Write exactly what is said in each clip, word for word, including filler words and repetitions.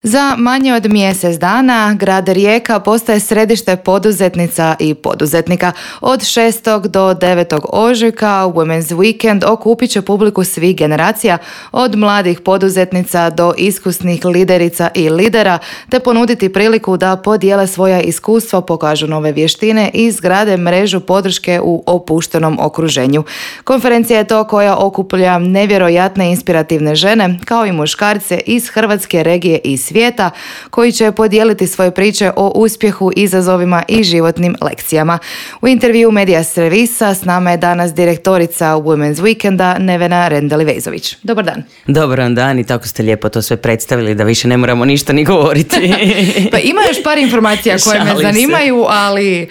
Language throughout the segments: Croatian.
Za manje od mjesec dana grad Rijeka postaje središte poduzetnica i poduzetnika. Od šestog do devetog ožujka Women's Weekend okupit će publiku svih generacija, od mladih poduzetnica do iskusnih liderica i lidera, te ponuditi priliku da podijele svoja iskustva, pokažu nove vještine i izgrade mrežu podrške u opuštenom okruženju. Konferencija je to koja okuplja nevjerojatne inspirativne žene, kao i muškarce iz Hrvatske, regije i svijeta, koji će podijeliti svoje priče o uspjehu, izazovima i životnim lekcijama. U intervju Medija servisa s nama je danas direktorica Women's Weekenda Nevena Rendeli-Vezović. Dobar dan. Dobar vam dan i tako ste lijepo to sve predstavili da više ne moramo ništa ni govoriti. Pa ima još par informacija koje me zanimaju, ali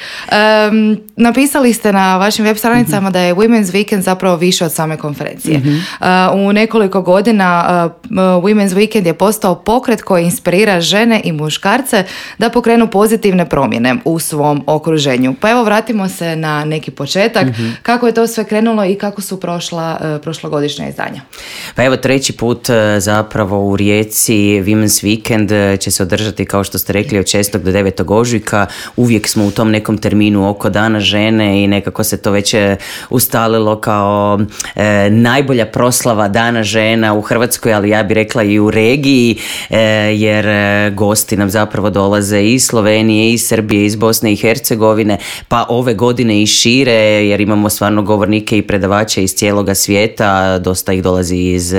um, napisali ste na vašim web stranicama mm-hmm. da je Women's Weekend zapravo više od same konferencije. Mm-hmm. Uh, u nekoliko godina uh, Women's Weekend je postao pokret koji inspirira žene i muškarce da pokrenu pozitivne promjene u svom okruženju. Pa evo, vratimo se na neki početak. Mm-hmm. Kako je to sve krenulo i kako su prošla uh, prošlogodišnja izdanja? Pa evo, treći put uh, zapravo u Rijeci Women's Weekend uh, će se održati, kao što ste rekli, od šestog do devetog ožujka. Uvijek smo u tom nekom terminu oko Dana žene i nekako se to već ustalilo kao uh, najbolja proslava Dana žena u Hrvatskoj, ali ja bih rekla i u regiji, uh, jer gosti nam zapravo dolaze iz Slovenije, iz Srbije, iz Bosne i Hercegovine, pa ove godine i šire, jer imamo stvarno govornike i predavače iz cijeloga svijeta, dosta ih dolazi iz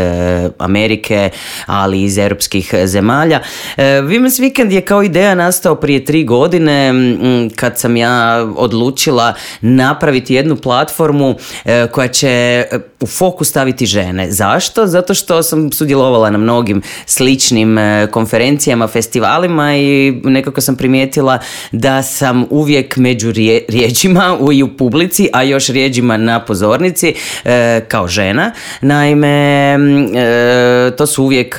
Amerike, ali i iz europskih zemalja. Women's Weekend je kao ideja nastao prije tri godine, kad sam ja odlučila napraviti jednu platformu koja će u fokus staviti žene. Zašto? Zato što sam sudjelovala na mnogim sličnim konferencijama, festivalima i nekako sam primijetila da sam uvijek među rije, rijeđima i u publici, a još rijeđima na pozornici e, kao žena. Naime, e, to su uvijek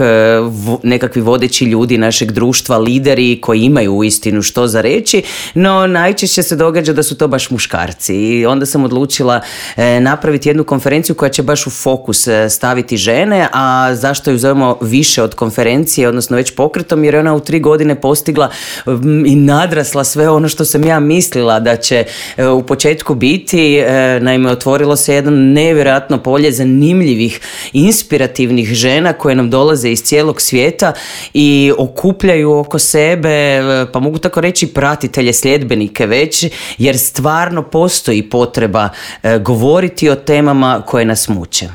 vo, nekakvi vodeći ljudi našeg društva, lideri koji imaju uistinu što za reći, no najčešće se događa da su to baš muškarci. I onda sam odlučila e, napraviti jednu konferenciju koja će baš u fokus staviti žene, a zašto ju zovemo više od konferencije, odnosno već pokretom, jer je ona u tri godine postigla i nadrasla sve ono što sam ja mislila da će u početku biti. Naime, otvorilo se jedno nevjerojatno polje zanimljivih, inspirativnih žena koje nam dolaze iz cijelog svijeta i okupljaju oko sebe, pa mogu tako reći, pratitelje, sljedbenike već, jer stvarno postoji potreba govoriti o temama koje nas muče.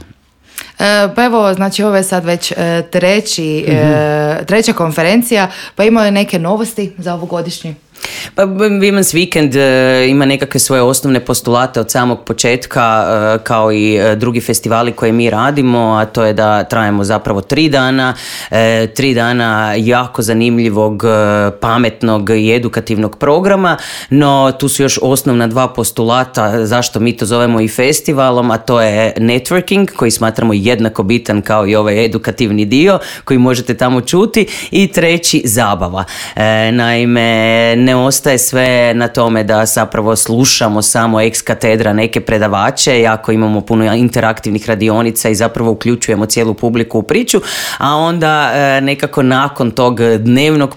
Pa evo, znači ovo je sad već treći, mm-hmm. treća konferencija, pa ima li neke novosti za ovogodišnji? Pa Women's Weekend uh, ima nekakve svoje osnovne postulate od samog početka, uh, kao i uh, drugi festivali koje mi radimo, a to je da trajemo zapravo tri dana, uh, tri dana jako zanimljivog, uh, pametnog i edukativnog programa, no tu su još osnovna dva postulata zašto mi to zovemo i festivalom, a to je networking, koji smatramo jednako bitan kao i ovaj edukativni dio koji možete tamo čuti, i treći, zabava. Uh, naime, ne ostaje sve na tome da zapravo slušamo samo ex katedra neke predavače, jako imamo puno interaktivnih radionica i zapravo uključujemo cijelu publiku u priču, a onda e, nekako nakon tog dnevnog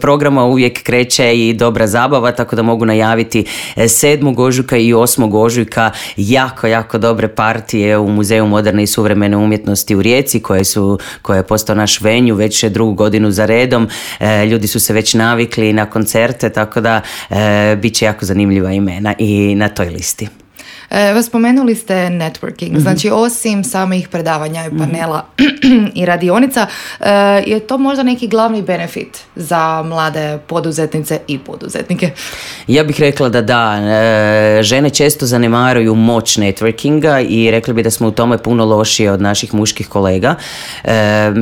programa uvijek kreće i dobra zabava, tako da mogu najaviti sedmog ožujka i osmog ožujka jako, jako dobre partije u Muzeju moderne i suvremene umjetnosti u Rijeci, koje su, koje je postao naš venju već drugu godinu za redom. E, ljudi su se već navikli na koncerte, tako da e, bit će jako zanimljiva imena i na toj listi. E, spomenuli ste networking, mm-hmm. znači osim samih predavanja i panela mm-hmm. i radionica, e, je to možda neki glavni benefit za mlade poduzetnice i poduzetnike? Ja bih rekla da da. E, žene često zanemaruju moć networkinga i rekli bi da smo u tome puno lošije od naših muških kolega. E,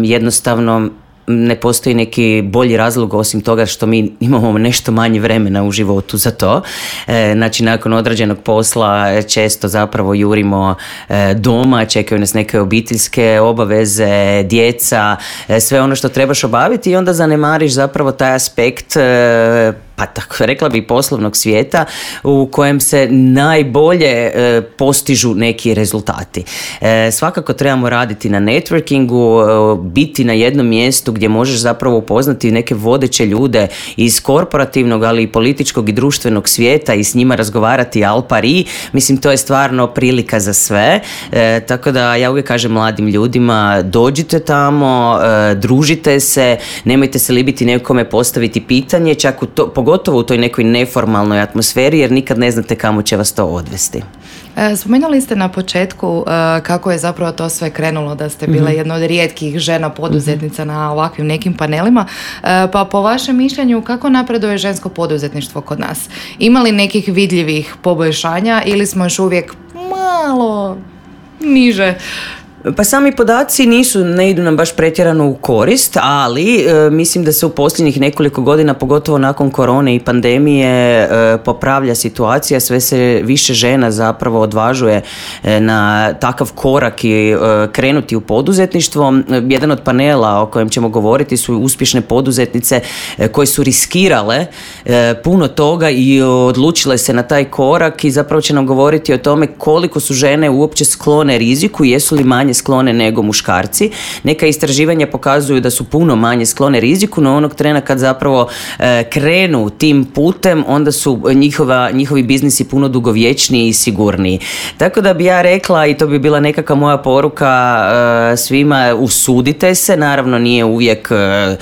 jednostavno ne postoji neki bolji razlog osim toga što mi imamo nešto manje vremena u životu za to. E, znači, nakon odrađenog posla često zapravo jurimo e, doma, čekaju nas neke obiteljske obaveze, djeca, e, sve ono što trebaš obaviti, i onda zanemariš zapravo taj aspekt e, pa tako rekla bi poslovnog svijeta u kojem se najbolje e, postižu neki rezultati. E, svakako trebamo raditi na networkingu, e, biti na jednom mjestu gdje možeš zapravo upoznati neke vodeće ljude iz korporativnog, ali i političkog i društvenog svijeta i s njima razgovarati al pari. Mislim, to je stvarno prilika za sve. E, tako da ja uvijek kažem mladim ljudima, dođite tamo, e, družite se, nemojte se libiti nekome postaviti pitanje, čak u to, pogotovo u toj nekoj neformalnoj atmosferi, jer nikad ne znate kamo će vas to odvesti. Spomenuli ste na početku kako je zapravo to sve krenulo, da ste bila mm-hmm. jedna od rijetkih žena poduzetnica mm-hmm. na ovakvim nekim panelima, pa po vašem mišljenju kako napreduje žensko poduzetništvo kod nas? Ima li nekih vidljivih poboljšanja ili smo još uvijek malo niže? Pa sami podaci nisu, ne idu nam baš pretjerano u korist, ali e, mislim da se u posljednjih nekoliko godina, pogotovo nakon korone i pandemije, e, popravlja situacija, sve se više žena zapravo odvažuje e, na takav korak i e, krenuti u poduzetništvo. Jedan od panela o kojem ćemo govoriti su uspješne poduzetnice e, koje su riskirale e, puno toga i odlučile se na taj korak i zapravo će nam govoriti o tome koliko su žene uopće sklone riziku i jesu li manje sklone nego muškarci. Neka istraživanja pokazuju da su puno manje sklone riziku, no onog trena kad zapravo e, krenu tim putem, onda su njihova, njihovi biznisi puno dugovječniji i sigurniji. Tako da bi ja rekla, i to bi bila nekakva moja poruka e, svima, usudite se, naravno nije uvijek e,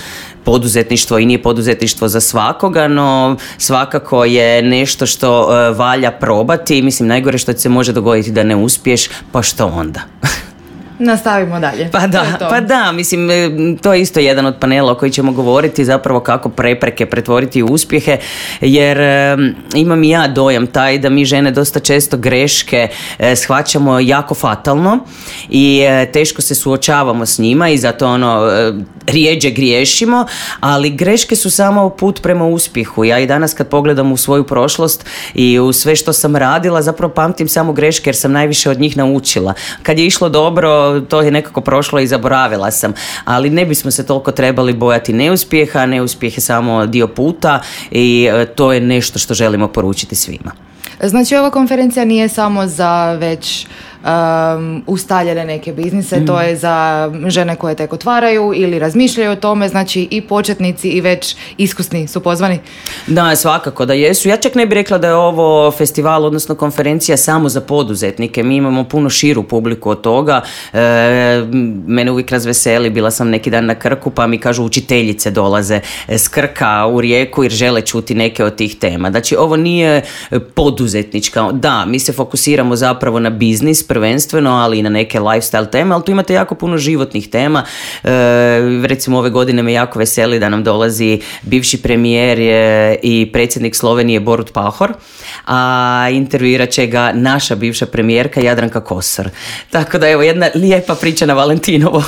poduzetništvo i nije poduzetništvo za svakoga, no svakako je nešto što uh, valja probati. Mislim, najgore što se može dogoditi da ne uspiješ, pa što onda? Nastavimo dalje. Pa da, to to. pa da, mislim, to je isto jedan od panela o koji ćemo govoriti, zapravo kako prepreke pretvoriti u uspjehe, jer e, imam i ja dojam taj da mi žene dosta često greške e, shvaćamo jako fatalno i e, teško se suočavamo s njima i zato ono e, rijeđe griješimo, ali greške su samo put prema uspjehu. Ja i danas kad pogledam u svoju prošlost i u sve što sam radila, zapravo pamtim samo greške jer sam najviše od njih naučila. Kad je išlo dobro, to je nekako prošlo i zaboravila sam, ali ne bismo se toliko trebali bojati neuspjeha, neuspjeh je samo dio puta i to je nešto što želimo poručiti svima. Znači ova konferencija nije samo za već um, ustaljene neke biznise, mm. to je za žene koje tek otvaraju ili razmišljaju o tome, znači i početnici i već iskusni su pozvani? Da, svakako da jesu. Ja čak ne bih rekla da je ovo festival, odnosno konferencija samo za poduzetnike. Mi imamo puno širu publiku od toga. E, mene uvijek razveseli, bila sam neki dan na Krku pa mi kažu učiteljice dolaze s Krka u Rijeku jer žele čuti neke od tih tema. Znači ovo nije poduzetnička. Da, mi se fokusiramo zapravo na biznis prvenstveno, ali i na neke lifestyle teme, ali tu imate jako puno životnih tema. E, recimo ove godine me jako veseli da nam dolazi bivši premijer i predsjednik Slovenije Borut Pahor, a intervjuirat će ga naša bivša premijerka Jadranka Kosor. Tako da evo jedna lijepa priča na Valentinovo.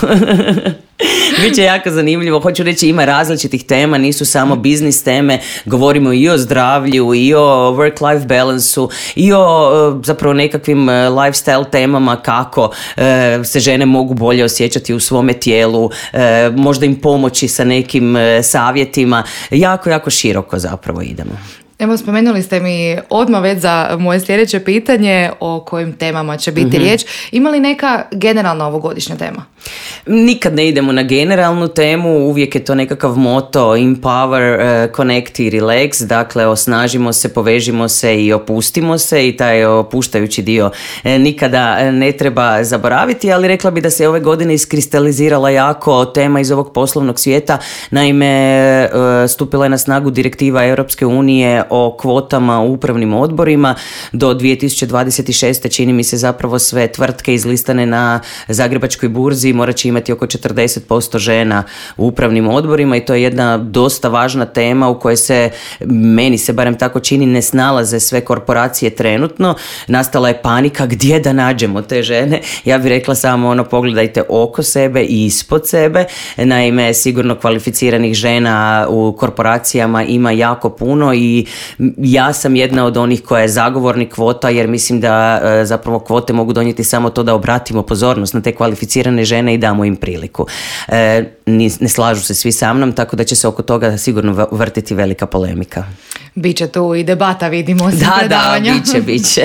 Biće jako zanimljivo. Hoću reći, ima različitih tema, nisu samo biznis teme, govorimo i o zdravlju, i o work-life balansu, i o zapravo nekakvim lifestyle temama, kako e, se žene mogu bolje osjećati u svome tijelu, e, možda im pomoći sa nekim e, savjetima. Jako, jako široko zapravo idemo. Evo, spomenuli ste mi odmah već za moje sljedeće pitanje o kojim temama će biti mm-hmm. riječ. Ima li neka generalna ovogodišnja tema? Nikad ne idemo na generalnu temu, uvijek je to nekakav moto empower, uh, connect i relax, dakle osnažimo se, povežimo se i opustimo se i taj opuštajući dio eh, nikada ne treba zaboraviti, ali rekla bi da se ove godine iskristalizirala jako tema iz ovog poslovnog svijeta. Naime, uh, stupila je na snagu direktiva Europske unije o kvotama u upravnim odborima. Do dvije tisuće dvadeset šeste čini mi se zapravo sve tvrtke izlistane na Zagrebačkoj burzi morat će imati oko četrdeset posto žena u upravnim odborima i to je jedna dosta važna tema u kojoj se, meni se barem tako čini, ne snalaze sve korporacije trenutno. Nastala je panika gdje da nađemo te žene. Ja bih rekla samo ono, pogledajte oko sebe i ispod sebe. Naime, sigurno kvalificiranih žena u korporacijama ima jako puno i Ja sam jedna od onih koja je zagovornik kvota, jer mislim da e, zapravo kvote mogu donijeti samo to da obratimo pozornost na te kvalificirane žene i damo im priliku. E, ne, ne slažu se svi sa mnom, tako da će se oko toga sigurno vrtiti velika polemika. Biće tu i debata, vidimo. Da, predavanja. Da, biće, biće.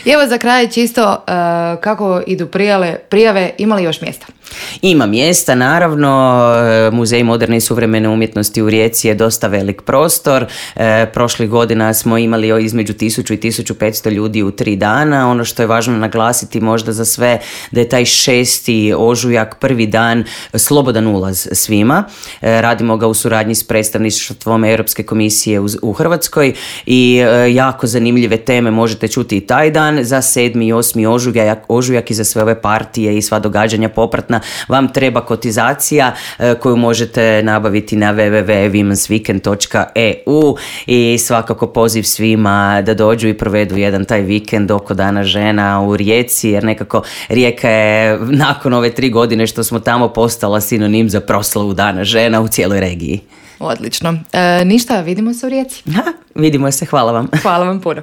I evo za kraj čisto uh, kako idu prijave, prijave, ima li još mjesta? Ima mjesta, naravno. Muzej moderne i suvremene umjetnosti u Rijeci je dosta velik prostor. E, prošlih godina smo imali između tisuću i tisuću petsto ljudi u tri dana. Ono što je važno naglasiti možda za sve, da je taj šesti ožujak, prvi dan, slobodan ulaz svima. E, radimo ga u suradnji s predstavništvom Europske komisije u, u Hrvatskoj i e, jako zanimljive teme možete čuti i taj dan. Za sedmi i osmi ožujak, ožujak i za sve ove partije i sva događanja popratna vam treba kotizacija e, koju možete nabaviti na w w w točka women's weekend točka e u i svakako poziv svima da dođu i provedu jedan taj vikend oko Dana žena u Rijeci, jer nekako Rijeka je nakon ove tri godine što smo tamo postala sinonim za proslavu Dana žena u cijeloj regiji. Odlično. E, ništa, vidimo se u Rijeci. Ha, vidimo se, hvala vam. Hvala vam puno.